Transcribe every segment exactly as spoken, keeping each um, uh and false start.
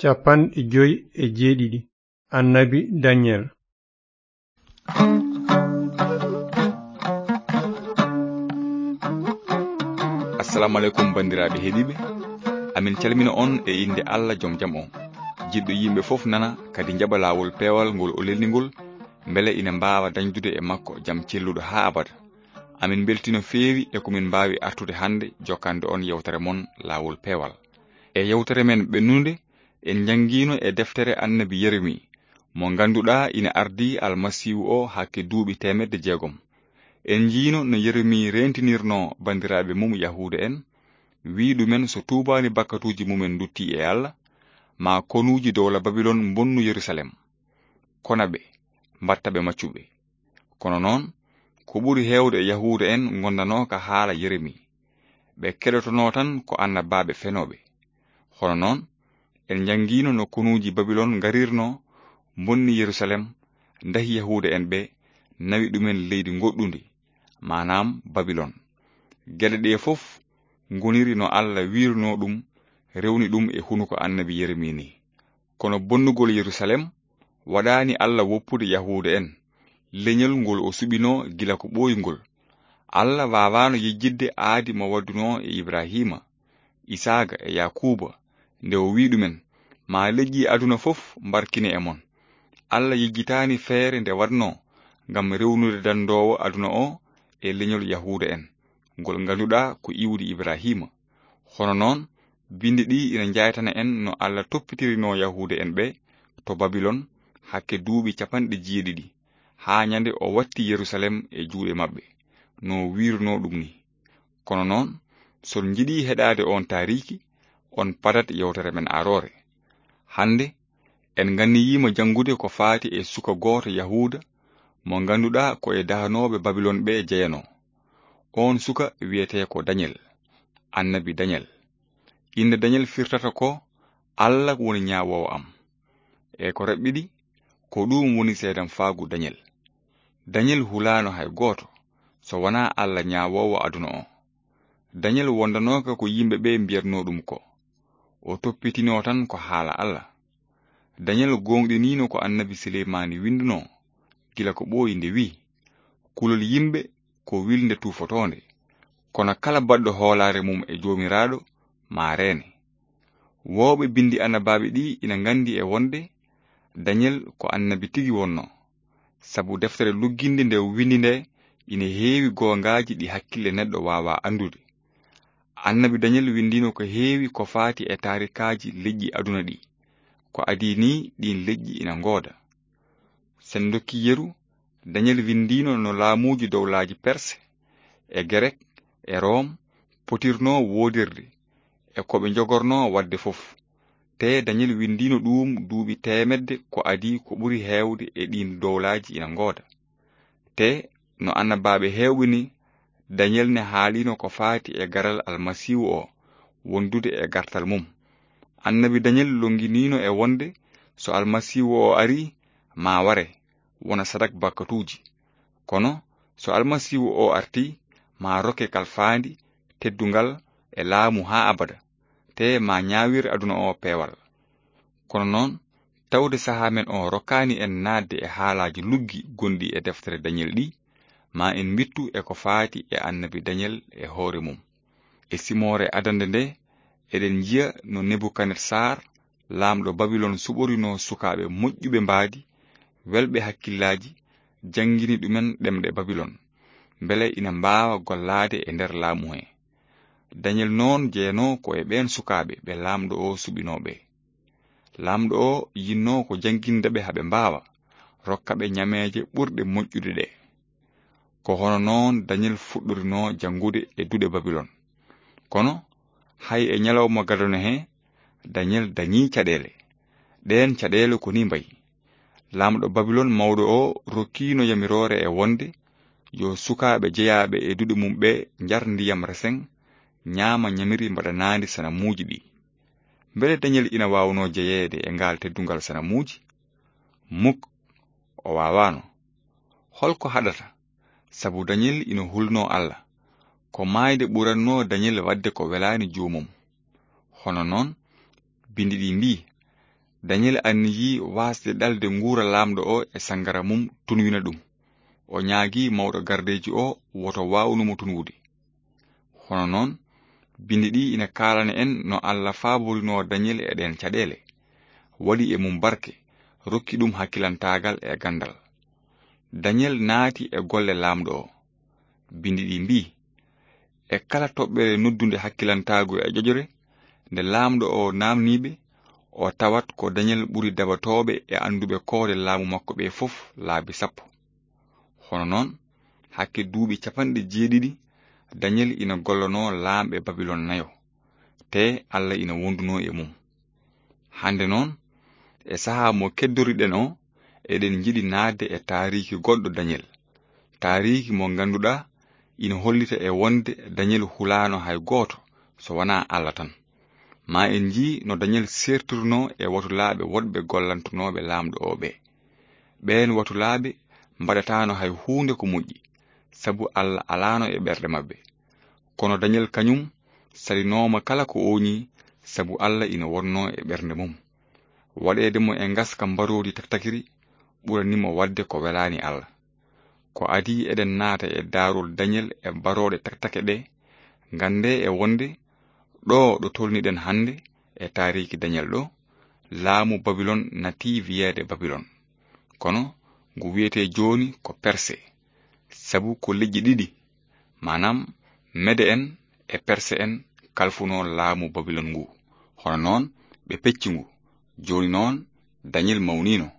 Cappanɗe joy e jeeɗiɗi. Annabi Daniel. Assalamu aleykum, banndiraaɓe heɗiiɓe. Amin calmina on e innde Allah jom jam on, jiɗɗo yimɓe fof nana, kadi njaɓa laawol peewal ngol o lelni ngol, mbele ina mbaawa dañdude e makko jam celluɗo haa abada. Amin mbeltii no feewi e ko min mbaawi artude hannde jokkande on yewtere mon Laawol Peewal. E yewtere men ɓennunde, en njanngiino e deftere Annabi Yeremi, mo ngannduɗaa ina ardii Almasiihu o hakke duuɓi teemedde jeegom. En njiino no Yeremi reentinirnoo banndiraaɓe mum Yahuuda en, wiyi ɗumen so tuubaani bakkatuuji mumen nduttii e Allah, maa konuuji dowla Babilon mbonnu Yerusalem, kona ɓe, mbaɗta ɓe maccuɓe. Kono noon, ko ɓuri heewde e Yahuuda en ngondanooka haala Yeremi. Ɓe keɗotonoo tan ko annabaaɓe fenooɓe. Hono noon, en njanngiino no konuuji Babilon ngarirnoo, mbonni Yerusalem, ndahi Yahuuda en ɓe, nawi ɗumen leydi ngoɗɗundi, maanaam Babilon. Geɗe ɗee fof ngoniri no Allah wiirnoo ɗum, rewni ɗum e hunuko Annabi Yeremi ni. Kono bonnugol Yerusalem waɗaani Allah woppude Yahuuda en, leñol ngol o suɓinoo gila ko ɓooyi ngol. Allah waawaano yejjitde aadi mo waddunoo e Ibraahiima, Isaaqa e Yaakuuba, nde o wiyi ɗumen, "Maa leƴƴi aduna fof mbarkine e mon." Allah yejjitaani feere nde waɗnoo ngam rewnude danndoowo aduna o e leñol Yahuuda en, ngol ngannduɗaa ko iwdi Ibraahiima. Hono noon, binndi ɗi ina njaytana en no Allah toppitirinoo Yahuuda en ɓe to Babilon hakke duuɓi cappanɗe jeeɗiɗi, haa ñande o watti Yerusalem e juuɗe maɓɓe, no o wiirnoo ɗum ni. Kono noon, so on njiɗii heɗaade oon taariiki, on padat yewtere men aroore. Hannde, en nganniyiima janngude ko faati e suka gooto Yahuuda mo ngannduɗaa ko e dahanooɓe Babilon ɓe jeyanoo. Oon suka wiyetee ko Dañel, annabi Dañel. Innde Dañel firtata ko "Allah woni ñaawoowo am." E ko raɓɓiɗi, ko ɗuum woni seedamfaagu Dañel. Dañel hulaano hay gooto so wonaa Allah ñaawoowo aduna o. Dañel wondanooka ko yimɓe ɓe mbiyatnoo ɗum ko. O toppitinoo tan ko haala Allah. Dañel gooŋɗiniino ko annabi Sileymaani winndunoo gila ko ɓooyi nde wiyi, "Kulol yimɓe ko wilnde tuufotoonde, kono kala baɗɗo hoolaare mum e Joomiraaɗo maa reene." Wooɓe binndi annabaaɓe ɗi ina nganndi e wonde Dañel ko annabi tigi wonnoo, sabu deftere lugginde nde o winndi nde ina heewi goongaaji ɗi hakkille neɗɗo waawaa anndude. Annabi Dañel winndiino ko heewi ko faati e taarikaaji leƴƴi aduna ɗi, ko adii ni ɗiin leƴƴi ina ngooda. Sen ndokkii yeru, Dañel winndiino no laamuuji dowlaaji Perse, e Gerek, e Room potirnoo woodirde, e ko ɓe njogornoo waɗde fof. Tee Dañel winndiino ɗuum duuɓi teemedde ko adii ko ɓuri heewde e ɗiin dowlaaji ina ngooda. Tee no annabaaɓe heewɓe ni, Dañel ne haaliino ko faati e garal Almasiihu o wondude e gartal mum. Annabi Dañel lonnginiino e wonde so Almasiihu o arii, maa ware, wona sadak bakkatuuji. Kono so Almasiihu o artii, maa rokke kalfaandi, teddungal e laamu haa abada, tee maa ñaawir aduna o peewal. Kono noon, tawde sahaa men o rokkaani en naatde e haalaaji luggi gonɗi e deftere Dañel ɗi, maa en mbittu e ko faati e annabi Dañel e hoore mum. E simoore adannde nde, eɗen njiya no Nebukadnesar, laamɗo Babilon, suɓorinoo sukaaɓe moƴƴuɓe mbaadi, welɓe hakkillaaji, janngini ɗumen ɗemɗe Babilon, mbele ina mbaawa gollaade e nder laamu he. Dañel noon jeyanoo ko e ɓeen sukaaɓe ɓe laamɗo o suɓinoo ɓe. Laamɗo o yinnoo ko jannginde ɓe haa ɓe mbaawa, rokka ɓe ñameeje ɓurɗe moƴƴude ɗe. Ko hono noon Dañel fuɗɗorinoo janngude e duɗe Babilon. Kono, hay e ñalawma gadano he, Dañel dañii caɗeele. Ɗeen caɗeele ko nii mbayi. Laamɗo Babilon mawɗo o rokkiino yamiroore e wonde yo sukaaɓe jeyaaɓe e duɗe mum ɓe njar ndiyam resen, ñaama ñamiri mbaɗanaandi sanamuuji ɗi. Mbele Dañel ina waawnoo jeyeede e ngaal teddungal sanamuuji? Muk, o waawaano. Hol ko haɗata? Sabu Dañel ina hulnoo Allah. Ko maayde ɓurannoo Dañel waɗde ko welaani joomum. Hono noon, binndi ɗi mbii, Dañel anniyii waasde ɗalde nguura laamɗo o e sanngara mum tunwina ɗum. O ñaagii mawɗo gardeeji o woto waawnu mo tunwude. Hono noon, binndi ɗi ina kaalana en no Alla faaborinoo Dañel e ɗeen caɗeele, waɗi e mum barke, rokki ɗum hakkilantaagal e ganndal. Dañel naati e golle laamɗo o. Binndi ɗi mbii, e kala toɓɓere noddunde hakkilantaagu e ƴoƴre, nde laamɗo o naamnii ɓe, o tawat ko Dañel ɓuri dabatooɓe e annduɓe koode laamu makko ɓe fof laabi sappo. Hono noon, hakke duuɓi capanɗe jeeɗiɗi, Dañel ina gollanoo laamɓe Babilon nayo, tee Alla ina wondunoo e mum. Hannde noon, e sahaa mo keddoriɗen o, eɗen njiɗi naatde e taariiki goɗɗo Dañel. Taariiki mo ngannduɗaa ina hollita e wonde Dañel hulaano hay gooto so wonaa Alla tan. Ma en njii no Dañel seertirnoo e watulaaɓe woɗɓe gollantunooɓe laamɗo o ɓe. Ɓeen watulaaɓe mbaɗataano hay huunde ko moƴƴi, sabu Alla alaano e ɓerɗe maɓɓe. Kono Dañel kañum salinooma kala ko ooñi, sabu Alla ina wonnoo e ɓernde mum. Waɗeede mo e ngaska mbaroodi taktakiri ɓuranii mo waɗde ko welaani Alla. Ko adii eɗen naata e daarol Dañel e barooɗe taktake ɗe, nganndee e wonde ɗo ɗo tolniɗen hannde e taariiki Dañel ɗo, laamu Babilon natii wiyeede Babilon. Kono ngu wiyetee jooni ko Perse, sabu ko leƴƴi ɗiɗi, maanaam Mede en e Perse en kalfunoo laamu Babilon ngu. Hono noon ɓe pecci ngu. Jooni noon Dañel mawniino.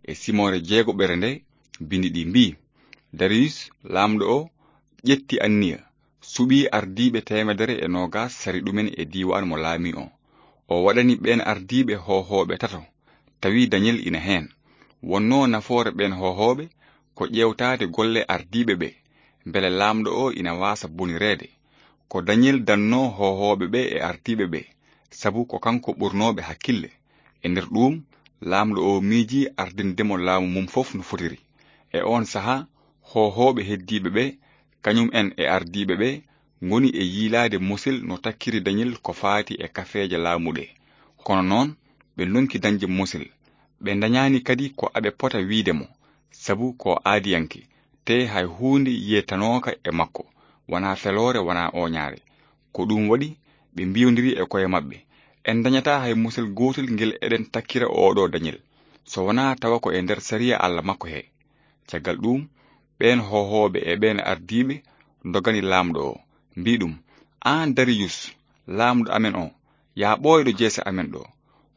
E simoore jeegoɓere nde, binndi ɗi mbii, Dariyus, laamɗo o, ƴetti anniya, suɓii ardiiɓe teemedere e noogaas sari ɗumen e diiwaan mo laamii o. O waɗani ɓeen ardiiɓe hoohooɓe tato, tawi Dañel ina heen. Wonnoo nafoore ɓeen hoohooɓe ko ƴeewtaade golle ardiiɓe ɓe, mbele laamɗo o ina waasa bonireede. Ko Dañel dannoo hoohooɓe ɓe e ardiiɓe ɓe, sabu ko kanko ɓurnooɓe hakkille. E nder ɗuum, laamɗo o miijii ardinde mo laamu mum fof no fotiri. E oon sahaa, hoohooɓe heddiiɓe ɓe, kañum en e ardiiɓe ɓe, ngoni e yiilaade Mosil no takkiri Dañel ko faati e kafeeje laamu ɗe. Kono noon, ɓe ndonki dañde Mosil. Ɓe ndañaani kadi ko aɓe pota wiyde mo, sabu ko aadiyanke, tee hay huunde yiyetanooka e makko, wonaa feloore, wonaa ooñaare. Ko ɗum waɗi, ɓe mbiyondiri e koye maɓɓe, en ndañataa hay Mosil gootel ngel eɗen takkira ooɗo Dañel, so wonaa tawa ko e nder sariya Alla makko he. Caggal ɗuum, ɓeen hoohooɓe e ɓeen ardiiɓe ndogani laamɗo o, mbii ɗum, aan Dariyus, laamɗo amen o, yaa ɓooyɗo jeese amen ɗo.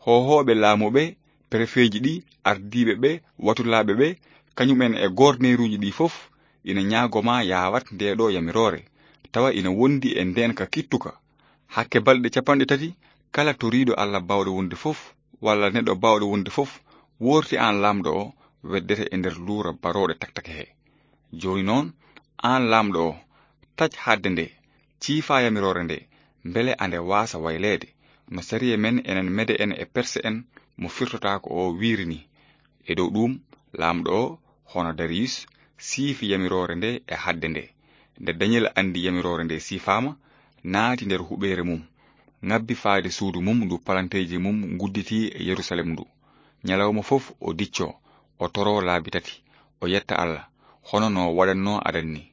Hoohooɓe laamu ɓe, perefeeji ɗi, ardiiɓe ɓe, watulaaɓe ɓe, kañum en e gorneeruuji ɗi fof, ina ñaago ma yaa waɗ ndee ɗo yamiroore, tawa ina wondi e ndeenka kittuka. Hakke balɗe capanɗe tati, kala toriiɗo Alla baawɗo wonde fof, walla neɗɗo baawɗo wonde fof, woorti aan laamɗo o, weddete e nder luura barooɗe taktake he. Jooni noon, aan laamɗo o, taƴ haɗde nde, ciifa yamiroore nde, mbele ande waasa wayleede, no sariya men enen Mede en e Perse en mo firtotaako o wiiri ni. E dow ɗuum, laamɗo o, hono Dariyus, siifi yamiroore nde e haɗde nde. Nde Dañel anndi yamiroore nde siifaama, naati nder huɓeere mum, ŋabbi faade suudu mum ndu palanteeji mum ngudditii e Yerusalem ndu. Ñalawma fof o diccoo, o toroo laabi tati, o yetta Alla, hono no waɗannoo adan ni.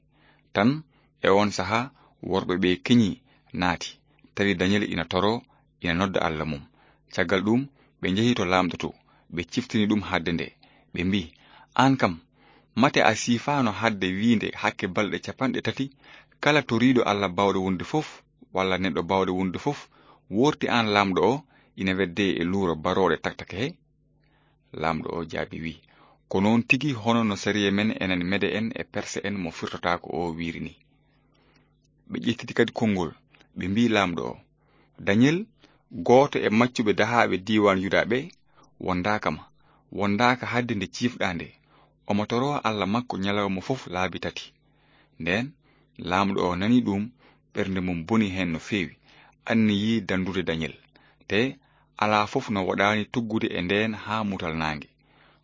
Tan, e oon sahaa, worɓe ɓe keñii, naati, tawi Dañel ina toroo, ina nodda Alla mum. Caggal ɗuum, ɓe njehi to laamɗo to, ɓe ciftini ɗum haɗde nde. Ɓe mbii, aan kam, mate a siifaano haɗde wiinde hakke balɗe capanɗe tati, kala toriiɗo Alla baawɗo wonde fof, walla neɗɗo baawɗo wonde fof, woorti aan laamɗo o, ina weddee e luura barooɗe taktake he? Laamɗo o jaabi, wii, ko noon tigi, hono no sariya men enen Mede en e Perse en mo firtotaako o wiiri ni. Ɓe ƴettiti kadi konngol, ɓe mbii laamɗo o, Dañel, gooto e maccuɓe dahaaɓe diiwaan Yuda ɓe, wondaaka ma, wondaaka haɗde nde ciifɗaa nde. Omo toroo Alla makko ñalawma fof laabi tati. Ndeen, laamɗo o nani ɗum, ɓernde mum boni heen no feewi, anniyii danndude Dañel. Te alaa fof no waɗaani tuggude e ndeen haa mutal naange.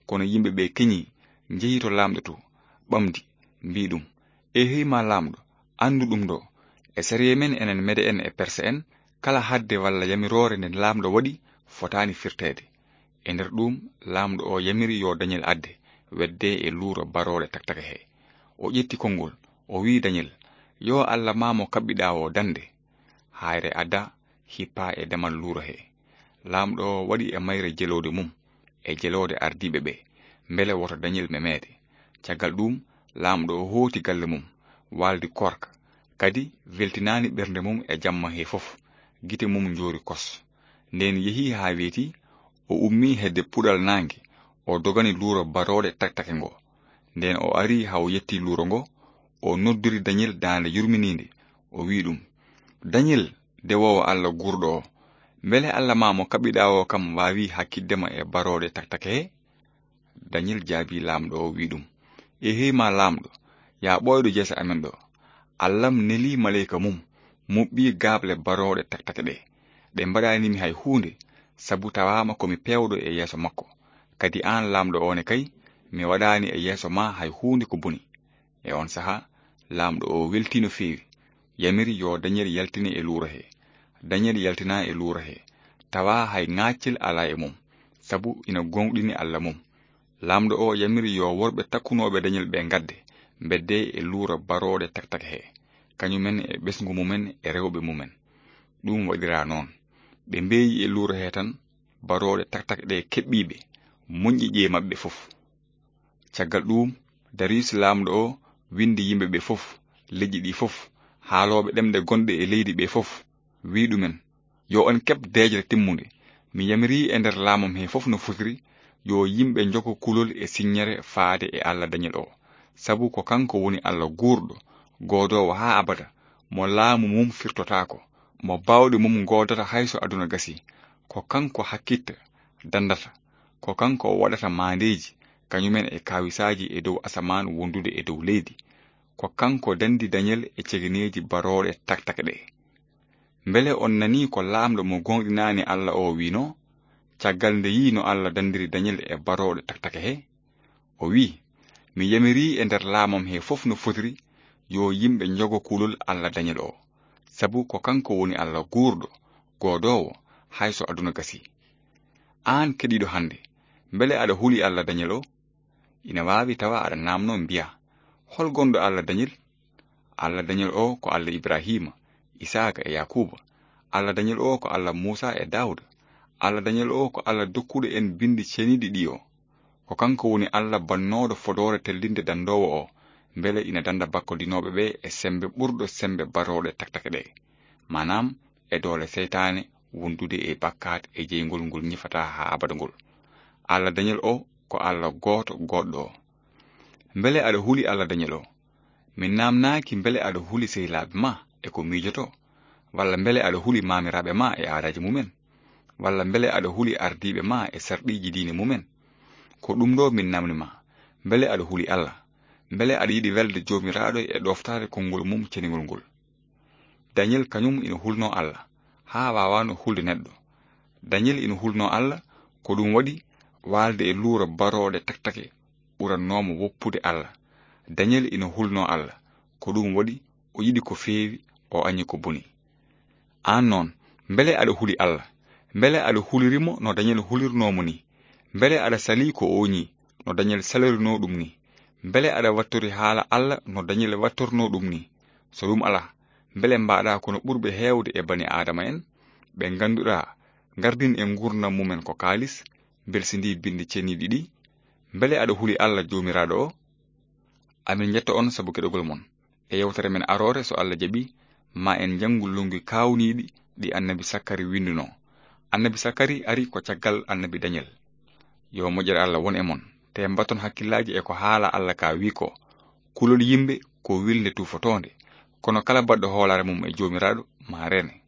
Kono yimɓe ɓe keñii, njehi to laamɗo to, ɓamdi, mbii ɗum, Eehey ma laamɗo, anndu ɗum ɗo, e sariya men enen Mede en e Perse en, kala haɗde walla yamiroore nde laamɗo waɗi fotaani firteede. E nder ɗum, Laamɗo o yamiri yo Dañel adde, wedde e luuro barooɗe taktake he. O ƴetti konngol, o wi'i Dañel, "Yo Alla ma mo kaɓɓiɗaa o dande. Hayre ada, hippa e damal luuro he." Laamɗo o waɗi e mayre jeloode mum, e jeloode ardiiɓe ɓe, mbele woto Dañel memeede. Caggal ɗum, Laamɗo o hooti galle mum, waaldi koorka, kadi weltinaani ɓernde mum e jamma he fof, gite mum njoori kos. Nden yehi haa weeti, o ummi hedde puɗal naange, o dogani luuro barooɗe taktake ngo. Nden o ari haa o yetti luuro ngo, o noddiri Dañel daande yurminiinde, o wi'i ɗum, "Dañel, dewoowo Alla guurɗo o, mbele Alla ma mo kaɓɓiɗaa o kam waawi hakkitde ma e barooɗe taktake he?" Dañel jaabi Laamɗo o, wi'i ɗum, "Eehey ma Laamɗo, yaa ɓooyɗo jeese amen ɗo. Alla am neli maleyka mum, muɓɓi gaaɓle barooɗe taktake ɗe. Ɗe mbaɗaani mi hay huunde, sabu tawaama ko mi peewɗo e yeeso makko. Kadi aan Laamɗo o ne kay, mi waɗaani e yeeso ma hay huunde ko boni." E on saha, Laamɗo o weltii no feewi, yamiri yo Dañel yaltine e luuro he. Dañel yaltina e luuro he, tawa hay ŋaaccel alaa e mum, sabu ina gooŋɗini Alla mum. Laamɗo o yamiri yo worɓe takkunooɓe Dañel ɓe ngadde, mbedde e luuro barooɗe taktake he, kañumen e ɓesngu mumen e rewɓe mumen. Ɗum waɗira noon. Ɓe mbeeyi e luuro he tan, barooɗe taktake ɗe keɓɓiiɓe, moƴƴi ƴee maɓɓe fof. Caggal ɗuum, Dariyus laamɗo o winndi yimɓe ɓe fof, leƴƴi ɗi fof, haalooɓe ɗemɗe gonɗe e leydi ɓe fof, wi'i ɗumen, "Yo on keɓ deeƴre timmunde. Mi yamirii e nder laamam he fof no fotiri, yo yimɓe njogo kulol e siññere faade e Alla Dañel o. Sabu ko kanko woni Alla guurɗo, goodoowo haa abada, mo laamu mum firtotaako, mo baawɗe mum ngoodata hay so aduna gasii. Ko kanko hakkitta, danndata. Ko kanko waɗata maandeeji, kañumen e kaawisaaji e dow asamaan wondude e dow leydi. Ko kanko danndi Dañel e cegeneeji barooɗe taktake ɗe." Mbele on nanii ko laamɗo mo gooŋɗinaani Alla o wi'noo, caggal nde yi'i no Alla danndiri Dañel e barooɗe taktake he? O wi'i, "Mi yamirii e nder laamam he fof no fotiri, yo yimɓe njogo kulol Alla Dañel o. Sabu ko kanko woni Alla guurɗo, goodoowo, hay so aduna gasii." Aan keɗiiɗo hannde, mbele aɗa huli Alla Dañel o? Ina waawi tawa aɗa naamnoo mbiyaa, "Hol gonɗo Alla Dañel?" Alla Dañel o ko Alla Ibrahiima, Isaaka e Yaakuuba. Alla Dañel o ko Alla Muusa e Daawuda. Alla Dañel o ko Alla dokkuɗo en binndi ceniiɗi ɗi o. Ko kanko woni Alla bannooɗo fodoore tellinde danndoowo o, mbele ina dannda bakkodinooɓe ɓe e semmbe ɓurɗo semmbe barooɗe taktake ɗe, maanaam e doole seytaane wondude e bakkaat e jeyngol ngol ñifataa haa abada ngol. Alla Dañel o ko Alla gooto goodɗo o. Mbele aɗa huli Alla Dañel o? Min naamnaaki mbele aɗa huli sehilaaɓe ma e ko miijotoo, walla mbele aɗa huli maamiraaɓe ma e aadaaji mumen, walla mbele aɗa huli ardiiɓe ma e sarɗiiji diine mumen. Ko ɗum ɗo min naamni ma, mbele aɗa huli Alla? Mbele aɗa yiɗi welde Joomiraaɗo e ɗooftaade konngol mum ceningol ngol? Dañel kañum ina hulnoo Alla, haa waawaano hulde neɗɗo. Dañel ina hulnoo Alla, ko ɗum waɗi waalde e luuro barooɗe taktake ɓurannoo mo woppude Alla. Dañel ina hulnoo Alla, ko ɗum waɗi o yiɗi ko feewi, o añi ko boni. Aan noon, mbele aɗa huli Alla? Mbele aɗa huliri mo no Dañel hulirnoo mo nii? Mbele aɗa salii ko ooñii no Dañel salirinoo ɗum nii? Mbele aɗa wattori haala Alla no Dañel wattornoo ɗum nii? So ɗum alaa, mbele mbaɗaa kono ɓurɓe heewde e bani Aadama en, ɓe ngannduɗaa ngardin e nguurndam mumen ko kaalis, mbelsindii binndi ceniiɗi ɗi? Mbele aɗa huli Alla Joomiraaɗo o? Amin njetta on sabu keɗogol mon. E yewtere men aroore, so Alla jaɓi, ma en njanngu lunngi kaawniiɗi ɗi annabi Sakkari winndunoo. Annabi Sakkari ari ko caggal annabi Dañel. Yo moƴƴere Alla won e mon. Te mbaton hakkillaaji e ko haala Alla ka wi ko, "Kulol yimɓe ko wilnde tuufotoonde, kono kala baɗɗo hoolaare mum e Joomiraaɗo ma reene."